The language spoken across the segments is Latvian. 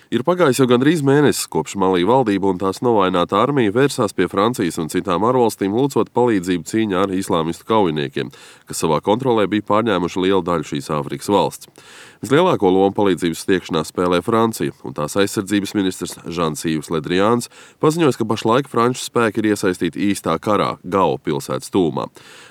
Ir pagājis jau gandrīz mēnesis, kopš Malī valdība un tās novaināta armija vērsās pie Francijas un citām ārvalstīm lūdzot palīdzību cīņā ar islāmistu kaujiniekiem, kas savā kontrolē bija pārņēmuši lielu daļu šīs Āfrikas valsts. Vislielāko lomu palīdzības sniegšanā spēlē Francija, un tās aizsardzības ministrs Žans-Yves Le Drians paziņoja, ka pašlaik franču spēki ir iesaistīti īstā karā Gao pilsētas tūmā.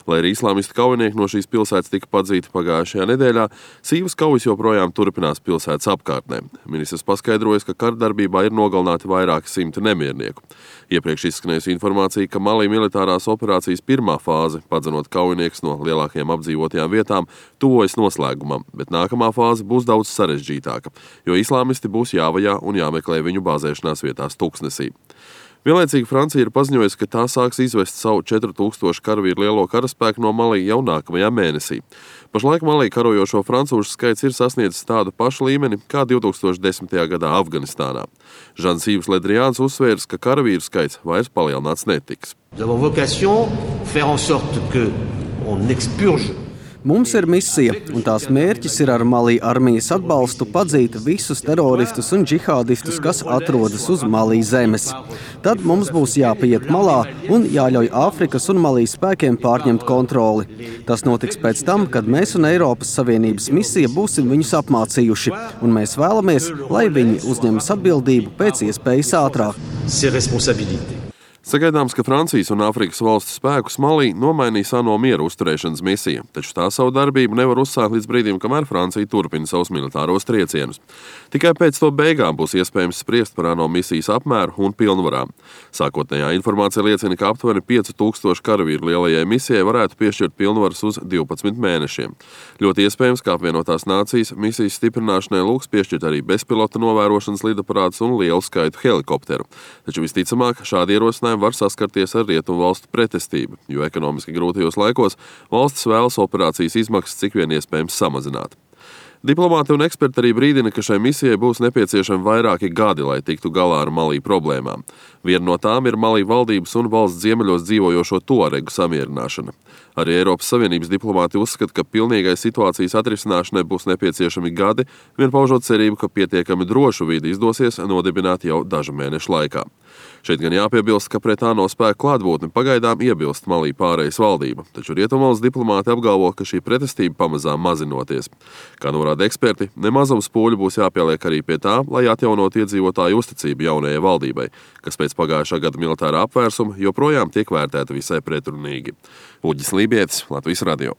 Lai arī islāmistu kaujinieki no šīs pilsētas tika padzīti pagājušajā nedēļā, sīvas kaujas joprojām turpinās pilsētas apkārtnē. Ministrs paskaidroja, ka kardarbībā ir nogalināti vairāki simti nemiernieku. Iepriekš izskanējusi informācija, ka Malī militārās operācijas pirmā fāze, padzenot kaujiniekus no lielākajām apdzīvotajām vietām, tuvojas noslēgumam, bet nākamā fāze būs daudz sarežģītāka, jo islāmisti būs jāvajā un jāmeklē viņu bāzēšanās vietās tuksnesī. Vienlaicīgi Francija ir paziņojusi, ka tā sāks izvest savu 4000 karavīru lielo karaspēku no Malī jau nākamajā mēnesī. Pašlaik Malī karojošo francūžu skaits ir sasniedzis tādu pašu līmeni kā 2010. gadā Afganistānā. Žans-Yves Le Drians uzsvērs, ka karavīru skaits vairs palielināts netiks. Mums ir misija, un tās mērķis ir ar Malī armijas atbalstu padzīt visus teroristus un džihādistus, kas atrodas uz Malī zemes. Tad mums būs jāpiet malā un jāļauj Āfrikas un Malī spēkiem pārņemt kontroli. Tas notiks pēc tam, kad mēs un Eiropas Savienības misija būsim viņus apmācījuši, un mēs vēlamies, lai viņi uzņemas atbildību pēc iespējas ātrāk. Sagaidāms, ka Francijas un Āfrikas valstu spēkus Malī nomainīs ANO miera uzturēšanas misija, taču tā savu darbību nevar uzsākt līdz brīdim, kamēr Francija turpina savus militāros triecienus. Tikai pēc to beigām būs iespējams spriest par ANO misijas apmēru un pilnvarām. Sākotnējā informācija liecina, ka aptuveni 5000 karavīru lielajai misijai varētu piešķirt pilnvaras uz 12 mēnešiem. Ļoti iespējams, ka apvienotās nācijas misijas stiprināšanai lūgs piešķirt arī bezpilota novērošanas lidaparātus un lielu skaitu helikopteru. Taču visticamāk, šādi ierosinājumi var saskarties ar rietumu valstu pretestību, jo ekonomiski grūtajos laikos valstis vēlas operācijas izmaksas cik vien iespējams samazināt. Diplomāti un eksperti arī brīdina, ka šai misijai būs nepieciešami vairāki gadi, lai tiktu galā ar Malī problēmām. Viena no tām ir Malī valdības un valsts ziemeļos dzīvojošo tuaregu samierināšana. Arī Eiropas Savienības diplomāti uzskata, ka pilnīgai situācijas atrisināšanai būs nepieciešami gadi, vien paužot cerību, ka pietiekami drošu vidi izdosies nodibināt jau dažu mēnešu laikā. Šeit gan jāpiebilst, ka pret ANO spēku klātbūtni pagaidām iebilst Malī pārejas valdība, taču rietumvalsts diplomāti apgalvo, ka šī pretestība pamazām mazinoties. Kā norāda eksperti, nemazums pūļu būs jāpieliek arī pie tā, lai atjaunot iedzīvotāju uzticību jaunajai valdībai, kas pēc pagājušā gada militārā apvērsuma joprojām tiek vērtēta visai pretrunīgi. Uģis Lībietis, Latvijas radio.